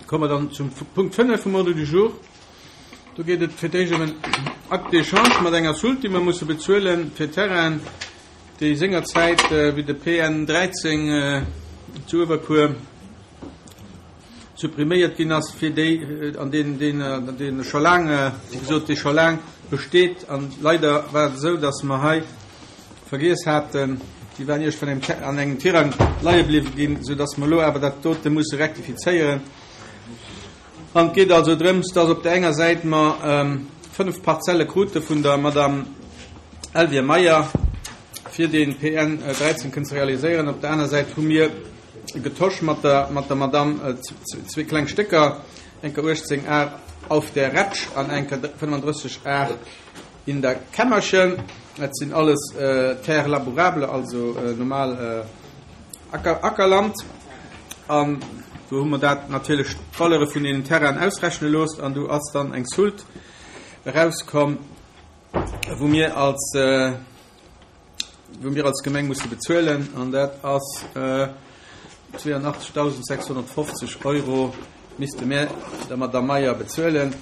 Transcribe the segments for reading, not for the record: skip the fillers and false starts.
Komme mer dann zum Punkt 5 vum Ordre du jour. Do geet et fir d'éischt ëm en Acte d'échange mat enger Soulte, déi mer musse bezuele fir Terrainen, déi sengerzäit, wéi de PN 13 zu Uewerkuer suppriméiert ginn ass, fir déi, an deen, deen, deen scho laang, wéi gesot, dee scho laang besteet. An leider war et esou, dass mer hei vergiess haten, déi waren iergendwann engem, an engem Tirang leie bliwwe ginn, soudass mer elo awer dat dote musse rektifizéieren. An et geet also drëms, dass op där enger Säit mer 5 Parzelle krute vun der Madame Elvire Meyer, fir dee PN 13 kënnen ze realiséieren. Op der aner Säit hu mir getosch mat der, mat der Madame zwee kleng Stécker, enker 18 Ar auf der Retsch an enker 35 Ar in der Kämmerchen. Dat sinn alles Terres labourables, also normal Acker, Ackerland. An do hu mer dat natierlech d'Valeure vun deenen Terrainen ausrechne loosst an do ass dann eng Soulte erauskomm, wou mir als, wou mir als Gemeng musse bezuelen an dat ass 82.650 Euro misste mir der Madame Meyer bezuelen,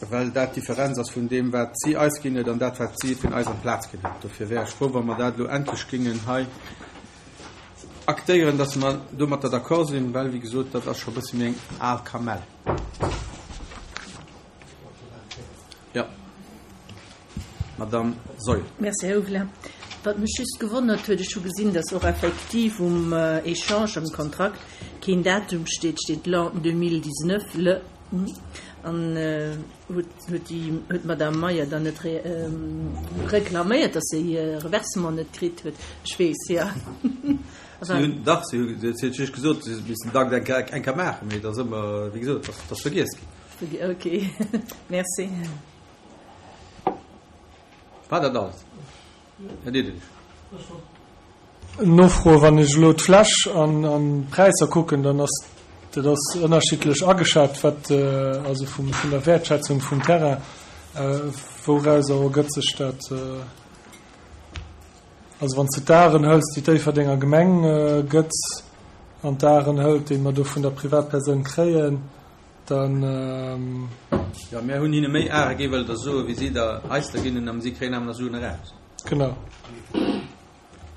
well dat d'Differenz ass vun deem, wat si eis ginn huet an dat, wat si vun eis amplaz kritt huet. Dofir wär ech frou, wa mer dat elo endlech géingen hei aktéieren, dass mer domatter d'accord sinn, well, wéi gesot, dat ass scho e bësse méi eng al Kamell. Jo. Madame Saeul. Merci, Här Huvelin. Wat mech just gewonnert huet, ech hu gesinn, dass och effektiv um Echange, am Kontrakt, keen Datum steet, steet l'an 2019, le, an huet, huet déi, huet d'Madame Meyer dann net reklaméiert, dass se hir Reversement net kritt huet? Ech weess, jo. Si hunn, dach, si hu, si huet just gesot, si missten d'Akt eng Kéier, eng Kéier maachen, mee et ass ëmmer, wéi gesot, et ass vergiess ginn. Ok, merci. War dat alles? Här Diderich. Nofro, Wann ech elo d'Fläch an d'Präisser kucken, dann ass dat ass ënnerschiddlech ageschat, wat also vum vun der Wäertschätzung vum Terrain. Wourauser ergëtt sech dat? Also wann s de d'Aren hëls, déi d'Déifferdenger Gemeng gëtt, an d'Aren hëlt, déi mer do vun der Privatpersoun kréien, Dann. Jo, mir hunn hinne méi Are gi, wëllt Der soen, wéi si der eis der ginn hunn, a si kréien awer nach Suen eraus. Genau.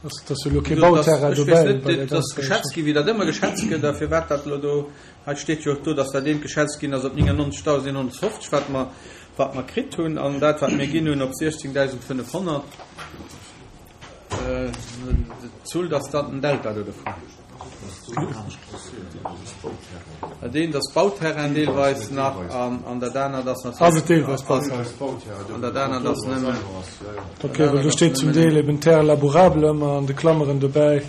Dat ass jo elo kee Bauterrain dobäi. Ech weess net, dat ass geschätzt ginn, wéi dat ëmmer geschätzt gëtt, a firwat dat elo do, hei steet jo och do, datt dat eent geschätzt ginn ass op 99.150, wat mer, wat mer kritt hunn, an dat, wat mir ginn hunn, op 16.500. D'Zuel, datt dat en Delta do dovun. Dat eent ass Bauterrain deelweis nach an dat anert ass natierlech. Ass et deelweis Bauterrain? An dat anert ass nëmmen. Ok, well do steet zum Deel eben Terre labourable ëmmer an de Klammeren dobäi.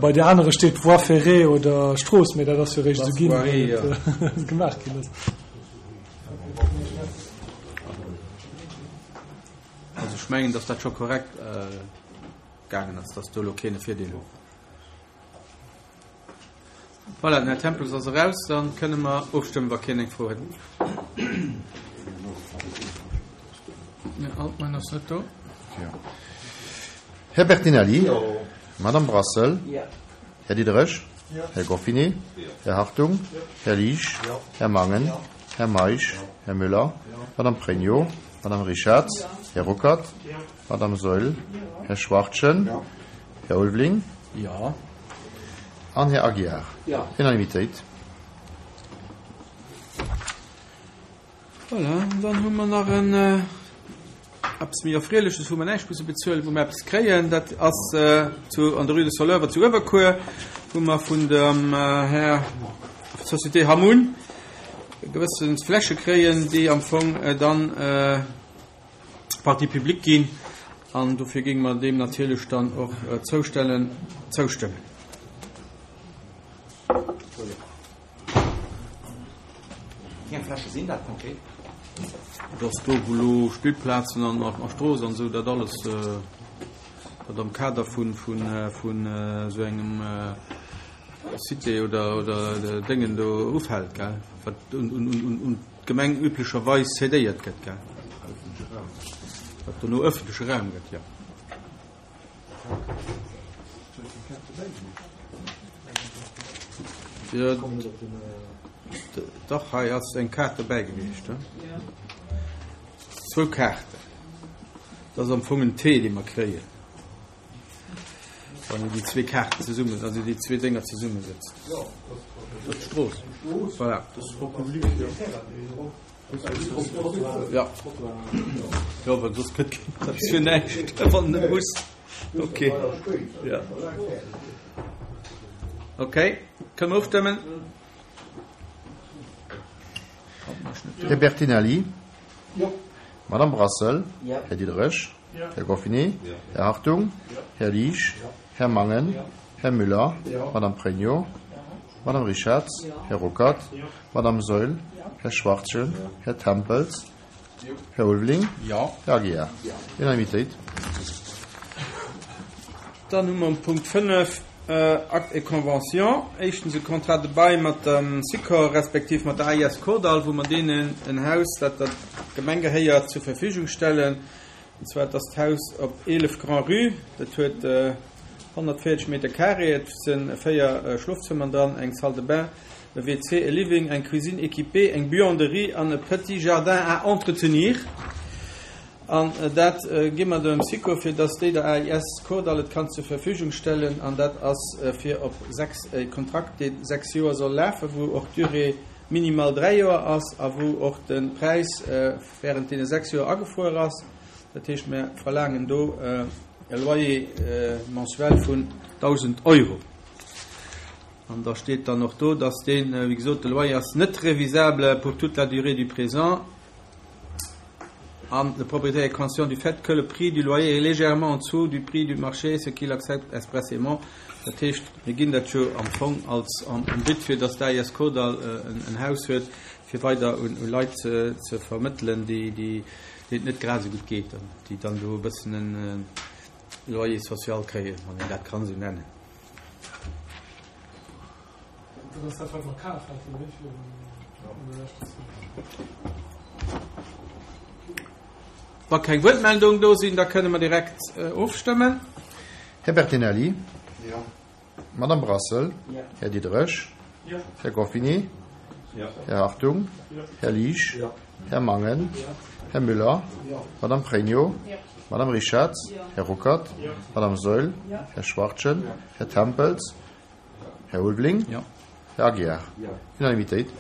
Bei de anere steet Voie ferrée oder Strooss, mee dat ass jo réischt esou ginn, wéi et gemaach ginn ass. Also ech mengen, datt dat scho korrekt gaangen ass, datt do elo keen e Virdeel huet. Voilà, den Här Tempels ass eraus, da kënne mer ofstëmmen, wa keen eng Fro huet. Den Här Altmann ass net do. Här Bertinelli? Madame Brassel? Här Diderich? Här Goffinet? Här Hartung? Här Liesch? Här Mangen? Här Meisch? Här Müller? Madame Pregno? Madame Richarz? Här Ruckert? Madame Saeul, Här Schwachtgen, Här Ulveling an Här Aguiar. Unanimitéit. Voilà, dann hu mer nach en eppes méi Erfreeleches, wou mer näischt musse bezuelen, wou mer eppes kréien. Dat ass zu, an der Rue de Soleuvre zu Uewerkuer, wou mer vun dem Här Société Hamun gewësse Fläche kréien, déi am Fong dann Partie publique ginn an dofir géinge mer deem natierlech dann och zoustellen, zoustëmmen. Wéi eng Fläche sinn dat konkret? Dat ass do, wou elo Spillplazen an a Strooss an esou, dat alles, wat am Kader vun esou engem Cité oder oder Déngen do ufält, gell, wat un d'Gemeng üblecherweis cédéiert gëtt, gell? Wat dono ëffentleche Raum gëtt, jo. Jo, dach, hei ass eng Kaart dobäi gewiescht, he? Zwou Kaarten. Dat ass am Fong en T, dee mer kréien, wann een déi zwee Kaarten zesummen, also déi zwee Dénger zesummesetzt. Dat ass d'Strooss. Voilà. Ja. Jo, well soss gëtt dat fir näischt, wann net muss. Okay. Ja. Okay, kënne mer ofstëmmen? Här Bertinelli? Jo. Madame Brassel? Jo. Här Diderich? Jo. Här Goffinet? Jo. Här Hartung? Jo. Här Liesch? Jo. Här Mangen? Jo. Här Müller? Jo. Madame Pregno? Jo. Madame Richartz? Jo. Här Ruckert? Jo. Madame Saeul? Jo. Här Schwachtgen? Jo. Här Tempels? Jo. Här Ulveling? Jo. Här Aguiar? Jo. Unanimitéit. Dann hu mer um Punkt 5 Actes et conventions. Éischtens e Contrat de bail mat dem Sikor respektiv mat der AIS Kordall, wou mer deenen en Haus, dat der Gemeng gehéiert, zur Verfügung stellen. An zwar et ass d'Haus op 11 Grand-Rue. Dat huet 140 Meter carré. Et si 4 Schlofzëmmern dran, eng Salle de bain, e WC, e Living, eng Cuisine équipée, eng Buanderie an e petit jardin à entretenir. An dat gi mer dem Sikor, fir dass déi der AIS Kordall et kann zur Verfügung stellen. An dat ass fir op 6, e Kontrakt, dee 6 Joer soll lafen, wou och d'Durée minimale 3 Joer ass a wou och de Präis während deene 6 Joer agefruer ass. Dat heescht, mir verlaangen do e Loyer mensuel vun 1.000 Euro. An da steet dann och do, dass deen, wéi gesot, de Loyer ass net révisable pour toute la durée du présent an le propriétaire est conscient du fait que le prix du loyer est légèrement en dessous du prix du marché, ce qu'il accepte expressément. Dat heescht, mir ginn dat jo am Fong als am But, fir dass d'AIS Kordall en Haus huet, fir weider un Leit ze vermëttelen, déi deenen et net grad esou gutt geet an déi dann do e bëssen e Loyer social kréien, wann een dat kann esou nennen. Dat ass dat, wat mer kaf haten, ne, virun an der leschter Zäit. Wa keng Wuertmeldung do sinn, da kënne mer direkt ofstëmmen. Här Bertinelli? Jo. Madame Brassel? Jo. Här Diderich? Jo. Här Goffinet? Jo. Här Hartung? Jo. Här Liesch? Jo. Här Mangen? Jo. Här Müller? Jo. Madame Pregno? Jo. Madame Richartz? Jo. Här Ruckert? Jo. Madame Saeul? Jo. Här Schwachtgen? Jo. Här Tempels? Här Ulveling? Jo. Här Aguiar? Jo. Unanimitéit.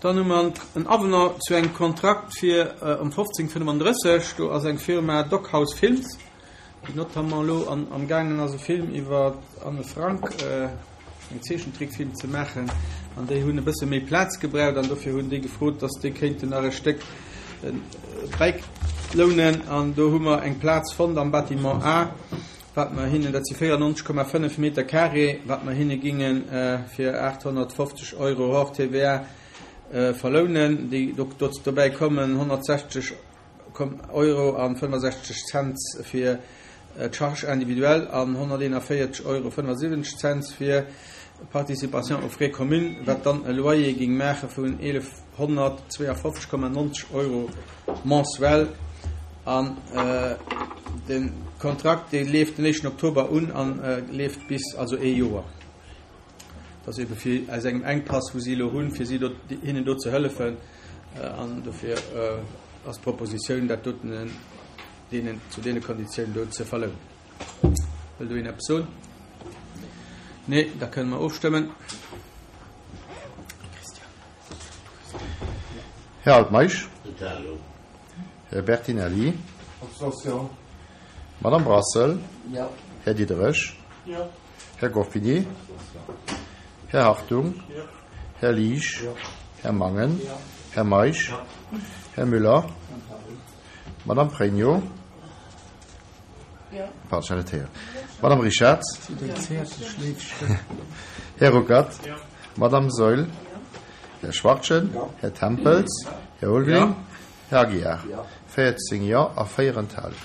Dann hu mer en Avenant zu engem Kontrakt fir ëm 1535. Do ass eng Firma Doghouse Films, déi notamment elo am gaangen ass e Film iwwer d'Anne Frank, eng Zeechentrickfilm ze maachen. An déi hunn e bësse méi Plaz gebraucht an dofir hunn déi gefrot, dass déi kéinten nach e Stéck bäilounen. An do hu mer eng Plaz fonnt am Bâtiment A, wat mer hinnen, dat si 94,5 Meter carré, wat mer hinne ginge fir 850 Euro hors TVA verlounen. Déi, dobäi kommen 160 Euro a 65 Cent fir d'Charge individuelle an 141 Euro 75 Cent fir d'Participation aux frais communes, wat dann e Loyer géing maache vun 1.152,90 Euro mensuel. An de Kontrakt, dee leeft den éischten Oktober un a leeft bis, also ee Joer. Dat ass ebe fir aus engem Enkpass, wou si elo hunn, fir si do, hinnen do ze hëllefen. An dofir ass d'Propositioun, dat doten deenen, zu deene Konditiounen do ze verlounen. Wëll do een eppes soen? Nee, da kënne mer ofstëmmen. Här Altmeisch. Här Bertinelli. Madame Brassel. Här Diderich. Här Goffinet. Här Hartung. Här Liesch. Här Mangen. Här Meisch. Här Müller. Madame Pregno. Pardon, ech hat net héieren. Madame Richartz. Här Ruckert. Madame Saeul. Här Schwachtgen. Här Tempels. Här Ulveling. Här Aguiar. 14 Jo a 4 Enthalungen.